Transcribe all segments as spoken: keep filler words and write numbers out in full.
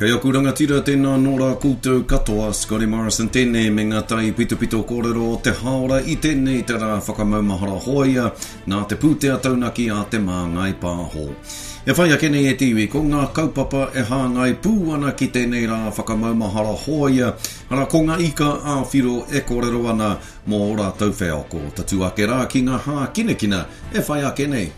Kei aku rangatira, tēnā nō rā koutou katoa, Scotty Morrison tēnei me ngā tai pitopito kōrero o te hāora i tēnei te rā whakamaumahara hōia nā te pūtea taunaki a Te Māngai Pāho. E whai ake nei e te iwi, ko ngā kaupapa e hāngai pū ana ki tēnei rā whakamaumahara hōia, arā ko ngā ika ā-whiro e kōrero ana mō ō rātou wheako. Tatū ake rā ki ngā hākinakina e whai ake nei.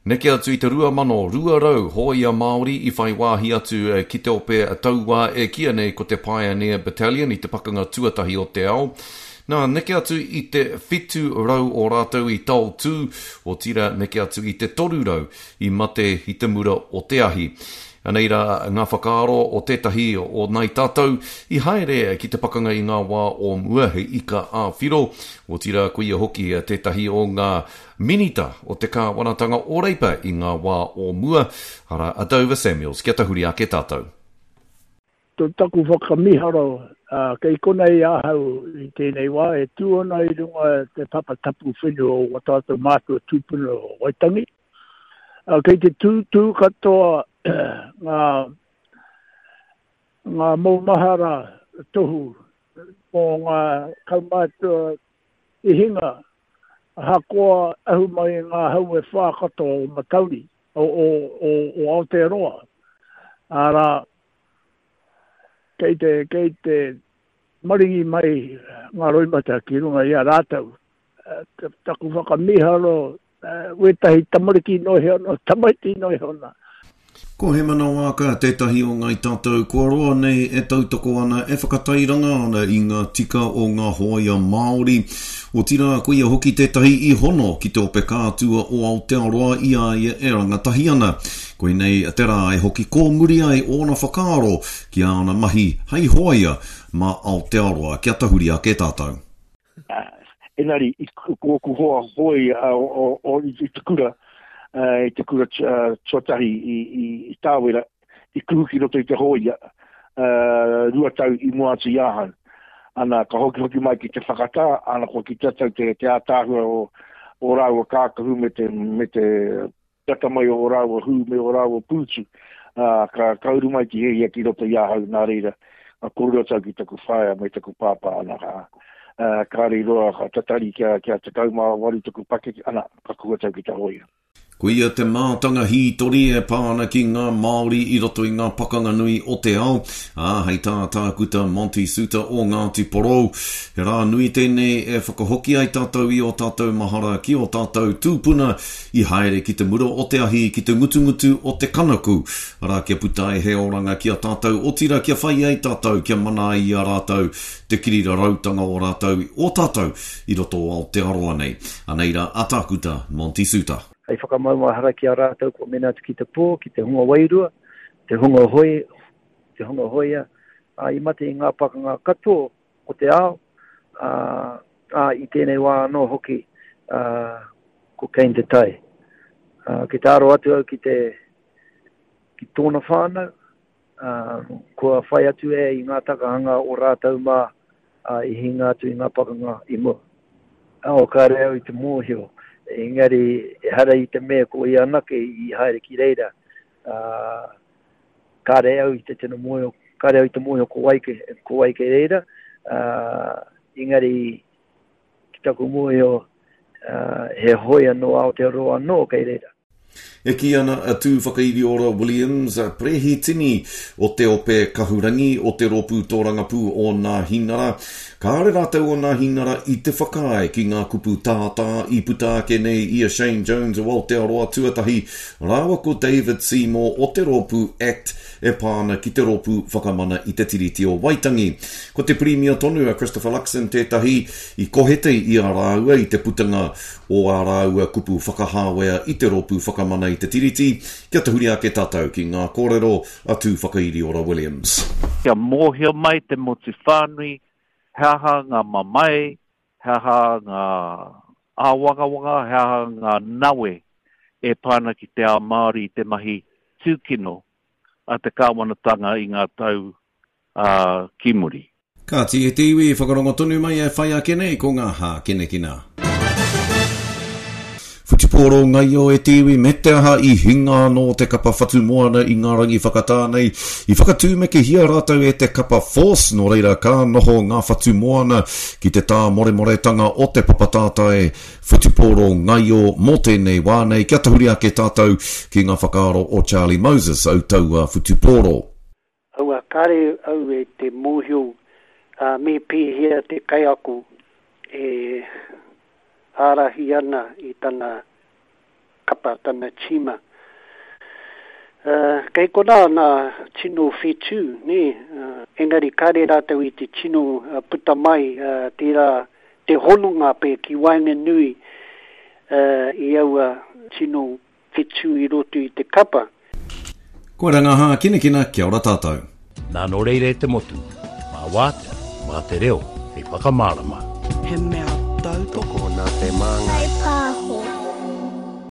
Neke atu i te rua mano rua rau hōia Māori i whai wāhi atu ki te ope tauā e kīia nei ko te Pioneer Battalion i te Pakanga Tuatahi o te Ao. Nā, neke atu i te whitu rau o rātou i taotū, otirā neke atu i te toru rau i mate i te mura o te ahi. Anei rā ngā whakaaro o tētahi o nai tātou i haere ki te pakanga i ngā wā o mua, he ika ā-whiro, otirā koia hoki tētahi o ngā Minita o te kāwanatanga o Reipa i ngā wā o mua, arā a Dover Samuels. Kia tahuri ake tātou. To taku whakamiharo, kei konei ahau i tēnei wā e tū ana i runga te papa tapu whenua o wā tātou mātua tūpuna o Waitangi. Kei te tūtū katoa ngā, ngā moumahara tohu mō ngā kaumātua i hinga ahakoa ahu mai i ngā hau e whā katoa o Matauri, o, o, o, o Aotearoa. Arā, kei te, kei te maringi mai ngā roimata ki runga i a rātou. Taku whakamīharo, wētahi tamariki noa iho nā, tamaiti noa iho nā. Ko Hemana Waaka tētahi o Ngāi Tātou kua roa nei e tautoko ana, e whakatairanga ana i ngā tika o ngā hōia Māori. Otirā, koia hoki tētahi i hono ki te Ope Kātua o Aotearoa i a ia e rangatahi ana. Koinei te rā e hoki kōmuri ai ōna whakaaro ki āna mahi hei hōia mā Aotearoa. Kia tahuri ake tātou. Engari, i ko ōku hoa hoi i te kura, i te kura tuatahi i Tāwera, i kuhu ki roto i te hōia, rua tau i mua atu i ahau. Ana, ka hokihoki mai ki te whakatā, ana kua kitea tau te ātaahua o ō rāua kākahu me te, me te Tata mai o rāua hū me o rāua pūtu, ā, ka, ka uru mai te hiahia ki roto i ahau, nā reira, ka kōrero atu au ki taku whaea me taku pāpā, ana, ka, ā, kāre i roa, ka tatari kia, kia tekau mā waru taku pakeke, ana, ka kuhu atu au ki te hōia. Koia te mātanga hītori e pā ana ki ngā Māori i roto i ngā pakanga nui o te ao, ā, hei tā Tākuta Monty Soutar o Ngāti Porou, he rā nui tēnei e whakahoki ai tātou i ō tātou mahara ki ō tātou tūpuna I haere ki te mura o te ahi, ki te ngutungutu o te kanaku, arā, kia puta ai he oranga ki a tātou, otirā kia whai ai tātou, kia mana ai i a rātou te kirirarautanga o rātou, o tātou i roto o Aotearoa nei. Anei rā a Tākuta Monty Soutar. Hei whakamaumahara ki a rātou kua mena atu ki te pō, ki te hunga wairua, te hunga hoi, te hunga hoia, ā, i mate i ngā pakanga katoa o te ao, ā, ā, i tēnei wā anō hoki, ā, ko Kane Te Tai. Ā, ki te aro atu au ki te, ki tōna whānau, ā, kua whai atu e i ngā takahanga o rātou mā, ā, i hinga atu i ngā pakanga i mua. Ao, kāre au i te mōhio, engari ehara i te mea ko ia anake i haere ki reira, ā, kāre au i te tino mōhio, kāre au i te mōhio ko wai, ko wai kei reira, ā, engari Ki taku mōhio, he hōia nō Aotearoa anō kei reira. E kī ana a Tūwhakairiora Williams, Perehitini o Te Ope Kahurangi o te Rōpū Tōrangapū o Nāhinara, kāore rātou o Nāhinara i te whakaae ki ngā kupu tātā i puta ake nei i a Shane Jones o Aotearoa Tuatahi rāua ko David Seymour o te rōpū act e pā ana ki te Rōpū Whakamana i te Tiriti o Waitangi. Ko te Pirimia tonu a Christopher Luxon tētahi i kohete i a rāua i te putanga o ā rāua kupu whakahāwea i te Rōpū Whakamana i te Tiriti, kia tahuri ake tātou ki ngā kōrero a Tūwhakairiora Williams. Kia mōhio mai te motu whānui he aha ngā mamae, he aha ngā āwangawanga, he aha ngā nawe e pā ana ki te ao Māori i te mahi tūkino a te kāwanatanga i ngā tau ki muri. Kāti e te iwi, whakarongo tonu mai e whai ake nei ko ngā hākinakina. whutupōro ngaio e te iwi, me te aha i hinga anō te kapa Whatumoana i ngā rangi whakatā nei. I whakatūmekehia rātou e te kapa Force, nō reira ka noho ngā Whatumoana ki te tāmoremoretanga o te papa tātai whutupōro ngaio mō tēnei wā nei. Kia tahuri ake tātou ki ngā whakaaro o Charlie Moses, au taua whutupōro. Aua kare au e te mōhio uh, me pēhea te kaiako e ārahi ana i tana kapa, tana tīma. Uh, kei konā nā tino whetū, nē, uh, engari kare rātou i te tino uh, puta mai uh, tērā te hononga pē ki waenganui uh, i aua tino whetū i roto i te kapa. Koe ngā hākinakina, kia ora tātou. Nā nō reira e te motu, mā wātea, mā te reo, hei whakamārama. He mea tautoko nā te māngai.